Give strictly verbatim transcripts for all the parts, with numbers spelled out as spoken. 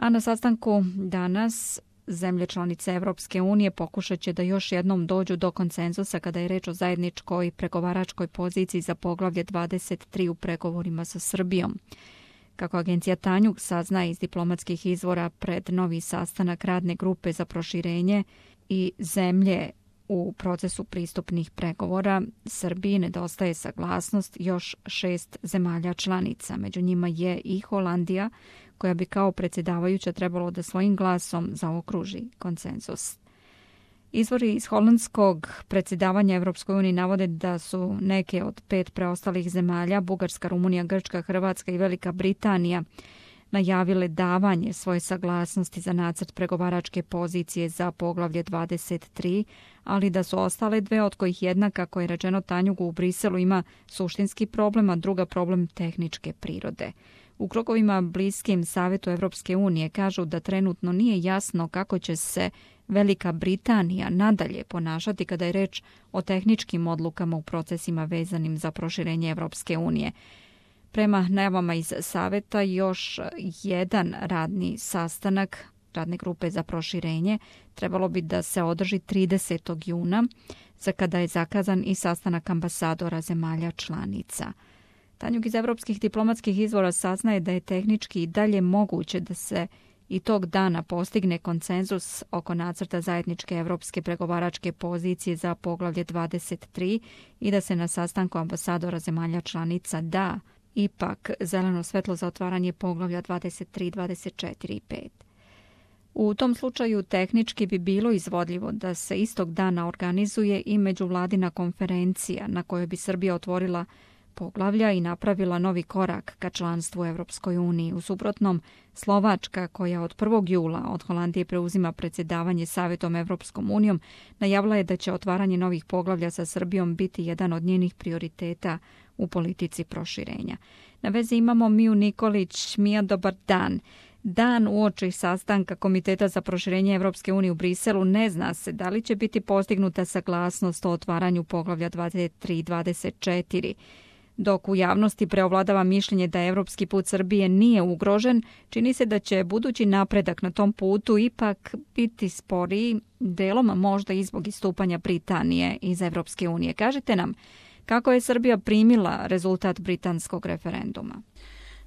A na sastanku danas zemlje članice Evropske unije pokušat će da još jednom dođu do konsenzusa kada je reč o zajedničkoj pregovaračkoj poziciji za poglavlje dvadeset tri u pregovorima sa Srbijom. Kako agencija Tanjug saznaje iz diplomatskih izvora, pred novi sastanak radne grupe za proširenje i zemlje u procesu pristupnih pregovora Srbiji nedostaje saglasnost još šest zemalja članica. Među njima je i Holandija, koja bi kao predsjedavajuća trebalo da svojim glasom zaokruži konsenzus. Izvori iz holandskog predsjedavanja Evropskoj uniji navode da su neke od pet preostalih zemalja, Bugarska, Rumunija, Grčka, Hrvatska i Velika Britanija, najavile davanje svoje saglasnosti za nacrt pregovaračke pozicije za poglavlje dvadeset tri, ali da su ostale dve, od kojih jedna, kako je rečeno Tanjugu, u Briselu ima suštinski problem, a druga problem tehničke prirode. U krugovima bliskim Savetu Evropske unije kažu da trenutno nije jasno kako će se Velika Britanija nadalje ponašati kada je reč o tehničkim odlukama u procesima vezanim za proširenje Evropske unije. Prema najavama iz Saveta, još jedan radni sastanak radne grupe za proširenje trebalo bi da se održi tridesetog juna, za kada je zakazan i sastanak ambasadora zemalja članica. Tanjug iz evropskih diplomatskih izvora saznaje da je tehnički i dalje moguće da se i tog dana postigne konsenzus oko nacrta zajedničke evropske pregovaračke pozicije za poglavlje dvadeset tri i da se na sastanku ambasadora zemalja članica da ipak zeleno svetlo za otvaranje poglavlja dvadeset tri, dvadeset četiri i pet. U tom slučaju tehnički bi bilo izvodljivo da se istog dana organizuje i međuvladina konferencija na kojoj bi Srbija otvorila poglavlja i napravila novi korak ka članstvu u Evropskoj uniji. U suprotnom, Slovačka, koja od prvog jula od Holandije preuzima predsjedavanje Savetom Evropskom unijom, najavila je da će otvaranje novih poglavlja sa Srbijom biti jedan od njenih prioriteta u politici proširenja. Na vezi imamo Miju Nikolić. Mija, dobar dan. Dan uoči sastanka Komiteta za proširenje Evropske unije u Briselu ne zna se da li će biti postignuta saglasnost o otvaranju poglavlja dvadeset tri i dvadeset četiri. Dok u javnosti preovladava mišljenje da evropski put Srbije nije ugrožen, čini se da će budući napredak na tom putu ipak biti sporiji, delom možda i zbog istupanja Britanije iz Evropske unije. Kažite nam, kako je Srbija primila rezultat britanskog referenduma?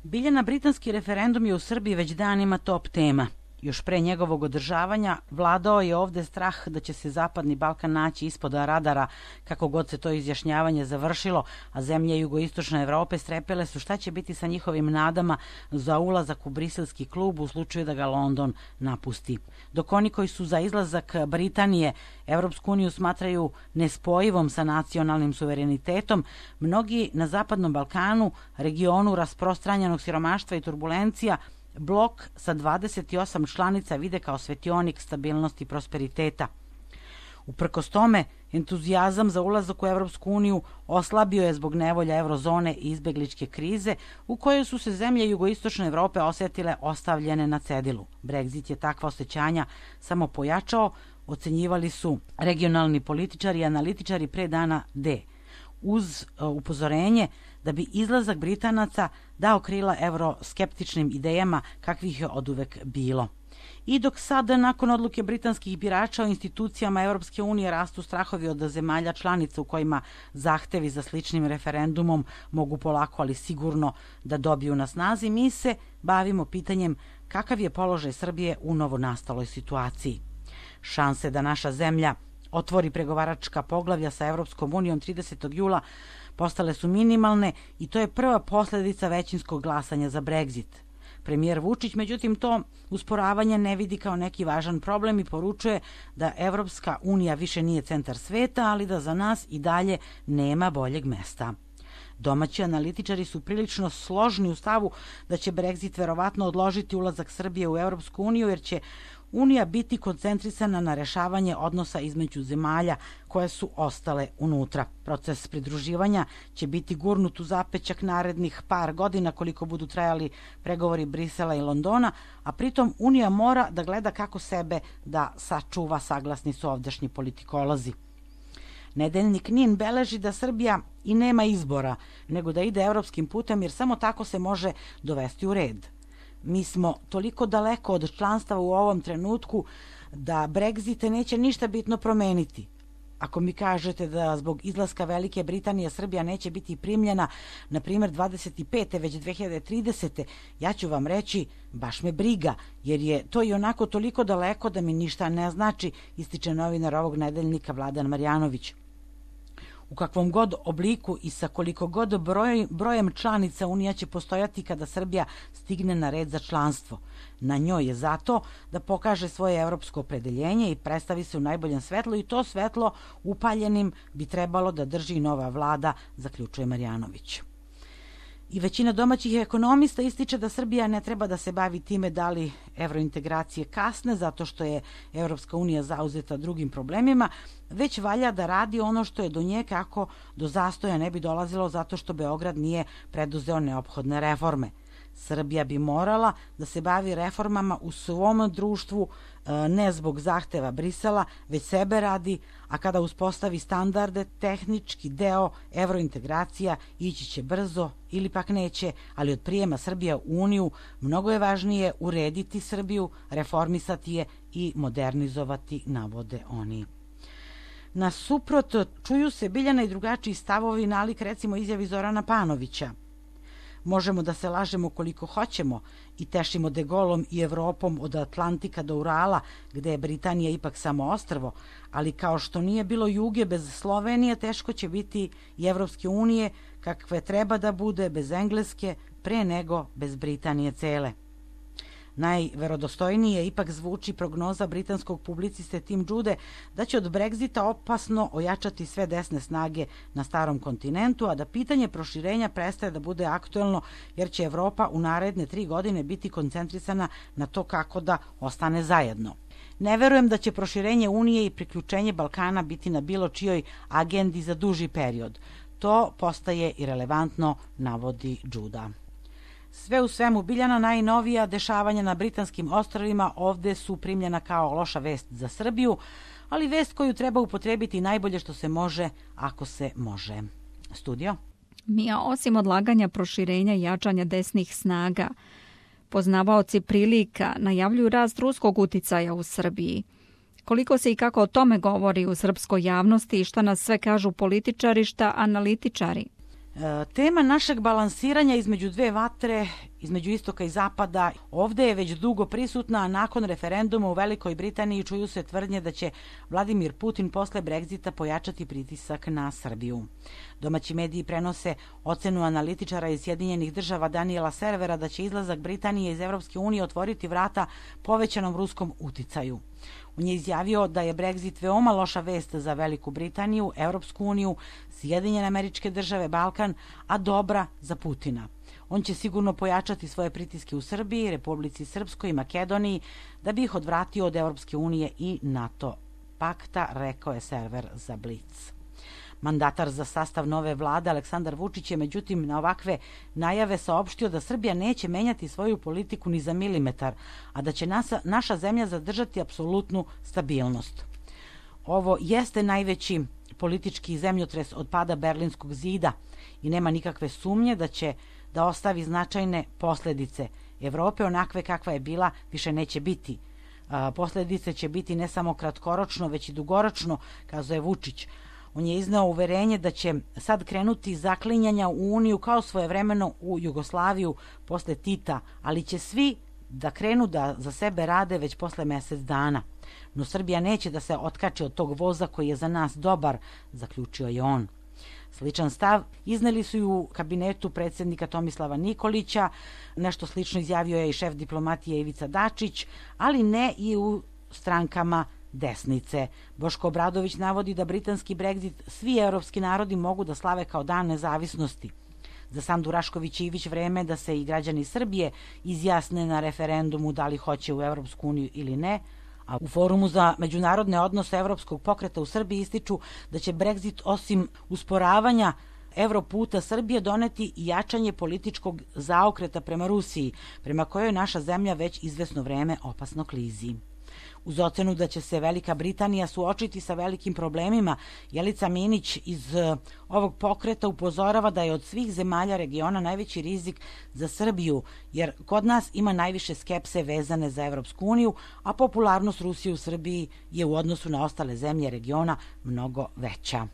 Biljana, britanski referendum je u Srbiji već danima top tema. Još pre njegovog održavanja vladao je ovde strah da će se Zapadni Balkan naći ispod radara, kako god se to izjašnjavanje završilo, a zemlje jugoistočne Evrope strepele su šta će biti sa njihovim nadama za ulazak u briselski klub u slučaju da ga London napusti. Dok oni koji su za izlazak Britanije Evropsku uniju smatraju nespojivom sa nacionalnim suverenitetom, mnogi na Zapadnom Balkanu, regionu rasprostranjenog siromaštva i turbulencija, blok sa dvadeset osam članica vide kao svetionik stabilnosti i prosperiteta. Uprkos tome, entuzijazam za ulazak u Evropsku uniju oslabio je zbog nevolja eurozone i izbegličke krize u kojoj su se zemlje jugoistočne Evrope osetile ostavljene na cedilu. Brexit je takva osjećanja samo pojačao, ocenjivali su regionalni političari i analitičari pre dana D, uz upozorenje da bi izlazak Britanaca dao krila evroskeptičnim idejama kakvih je oduvek bilo. I dok sada, nakon odluke britanskih birača o institucijama Evropske unije, rastu strahovi od zemalja članica u kojima zahtevi za sličnim referendumom mogu polako, ali sigurno da dobiju na snazi, mi se bavimo pitanjem kakav je položaj Srbije u novonastaloj situaciji. Šanse da naša zemlja otvori pregovaračka poglavlja sa Evropskom unijom tridesetog jula postale su minimalne i to je prva posledica većinskog glasanja za Brexit. Premijer Vučić, međutim, to usporavanje ne vidi kao neki važan problem i poručuje da Evropska unija više nije centar sveta, ali da za nas i dalje nema boljeg mesta. Domaći analitičari su prilično složni u stavu da će Brexit verovatno odložiti ulazak Srbije u Evropsku uniju, jer će Unija biti koncentrisana na rešavanje odnosa između zemalja koje su ostale unutra. Proces pridruživanja će biti gurnut u zapećak narednih par godina koliko budu trajali pregovori Brisela i Londona, a pritom Unija mora da gleda kako sebe da sačuva, saglasni su ovdašnji politikolozi. Nedeljnik NIN beleži da Srbija i nema izbora, nego da ide evropskim putem, jer samo tako se može dovesti u red. Mi smo toliko daleko od članstva u ovom trenutku da Brexit neće ništa bitno promeniti. Ako mi kažete da zbog izlaska Velike Britanije Srbija neće biti primljena, na primjer dvadeset pete već dve hiljade tridesete. ja ću vam reći, baš me briga, jer je to i onako toliko daleko da mi ništa ne znači, ističe novinar ovog nedeljnika Vladan Marjanović. U kakvom god obliku i sa koliko god broj, brojem članica Unija će postojati kada Srbija stigne na red za članstvo. Na njoj je zato da pokaže svoje evropsko opredeljenje i predstavi se u najboljem svetlu i to svetlo upaljenim bi trebalo da drži nova vlada, zaključuje Marjanović. I većina domaćih ekonomista ističe da Srbija ne treba da se bavi time da li evrointegracije kasne zato što je Evropska unija zauzeta drugim problemima, već valja da radi ono što je do nje kako do zastoja ne bi dolazilo zato što Beograd nije preduzeo neophodne reforme. Srbija bi morala da se bavi reformama u svom društvu, ne zbog zahteva Brisela, već sebe radi, a kada uspostavi standarde, tehnički deo evrointegracija ići će brzo ili pak neće, ali od prijema Srbija u Uniju mnogo je važnije urediti Srbiju, reformisati je i modernizovati, navode oni. Nasuprot, čuju se Biljana i drugačiji stavovi nalik recimo izjavi Zorana Panovića. Možemo da se lažemo koliko hoćemo i tešimo De Gaulom i Evropom od Atlantika do Urala, gde je Britanija ipak samo ostrvo, ali kao što nije bilo Juge bez Slovenije, teško će biti i Evropske unije, kakve treba da bude bez Engleske, pre nego bez Britanije cele. Najverodostojnije ipak zvuči prognoza britanskog publiciste Tim Jude da će od Brexita opasno ojačati sve desne snage na starom kontinentu, a da pitanje proširenja prestaje da bude aktuelno jer će Evropa u naredne tri godine biti koncentrisana na to kako da ostane zajedno. Ne verujem da će proširenje Unije i priključenje Balkana biti na bilo čijoj agendi za duži period. To postaje irelevantno, navodi Juda. Sve u svemu, Biljana, najnovija dešavanja na britanskim ostrvima ovde su primljena kao loša vest za Srbiju, ali vest koju treba upotrebiti najbolje što se može, ako se može. Studio? Mija, osim odlaganja proširenja i jačanja desnih snaga, poznavaoci prilika najavljuju rast ruskog uticaja u Srbiji. Koliko se i kako o tome govori u srpskoj javnosti i šta nas sve kažu političari, šta analitičari? Tema našeg balansiranja između dve vatre, između istoka i zapada, ovde je već dugo prisutna, a nakon referenduma u Velikoj Britaniji čuju se tvrdnje da će Vladimir Putin posle Brexita pojačati pritisak na Srbiju. Domaći mediji prenose ocenu analitičara iz Sjedinjenih država Daniela Servera da će izlazak Britanije iz Evropske unije otvoriti vrata povećanom ruskom uticaju. On je izjavio da je Brexit veoma loša vest za Veliku Britaniju, Evropsku uniju, Sjedinjene Američke Države, Balkan, a dobra za Putina. On će sigurno pojačati svoje pritiske u Srbiji, Republici Srpskoj i Makedoniji da bi ih odvratio od Evropske unije i NATO pakta, rekao je Server za Blic. Mandatar za sastav nove vlade Aleksandar Vučić je međutim na ovakve najave saopštio da Srbija neće menjati svoju politiku ni za milimetar, a da će nasa, naša zemlja zadržati apsolutnu stabilnost. Ovo jeste najveći politički zemljotres od pada Berlinskog zida i nema nikakve sumnje da će da ostavi značajne posledice. Evrope onakve kakva je bila više neće biti. Posledice će biti ne samo kratkoročno, već i dugoročno, kazuje Vučić. On je izneo uverenje da će sad krenuti zaklinjanja u Uniju kao svojevremeno u Jugoslaviju posle Tita, ali će svi da krenu da za sebe rade već posle mesec dana. No Srbija neće da se otkači od tog voza koji je za nas dobar, zaključio je on. Sličan stav izneli su i u kabinetu predsjednika Tomislava Nikolića, nešto slično izjavio je i šef diplomatije Ivica Dačić, ali ne i u strankama desnice. Boško Obradović navodi da britanski Brexit svi evropski narodi mogu da slave kao dan nezavisnosti. Za Sandu Rašković Ivić vreme da se i građani Srbije izjasne na referendumu da li hoće u Evropsku uniju ili ne, a u Forumu za međunarodne odnose Evropskog pokreta u Srbiji ističu da će Brexit osim usporavanja Evroputa Srbije doneti i jačanje političkog zaokreta prema Rusiji, prema kojoj naša zemlja već izvesno vreme opasno klizi. Uz ocenu da će se Velika Britanija suočiti sa velikim problemima, Jelica Minić iz ovog pokreta upozorava da je od svih zemalja regiona najveći rizik za Srbiju, jer kod nas ima najviše skepse vezane za Evropsku uniju, a popularnost Rusije u Srbiji je u odnosu na ostale zemlje regiona mnogo veća.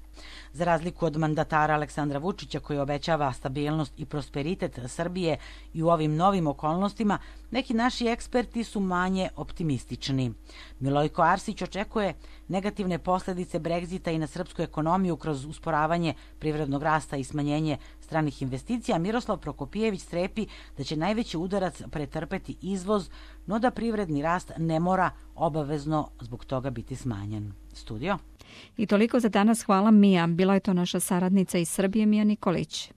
Za razliku od mandatara Aleksandra Vučića, koji obećava stabilnost i prosperitet Srbije i u ovim novim okolnostima, neki naši eksperti su manje optimistični. Milojko Arsić očekuje negativne posledice Brexita i na srpsku ekonomiju kroz usporavanje privrednog rasta i smanjenje stranih investicija. Miroslav Prokopijević strepi da će najveći udarac pretrpeti izvoz, no da privredni rast ne mora obavezno zbog toga biti smanjen. Studio. I toliko za danas. Hvala, Mija. Bila je to naša saradnica iz Srbije, Mija Nikolić.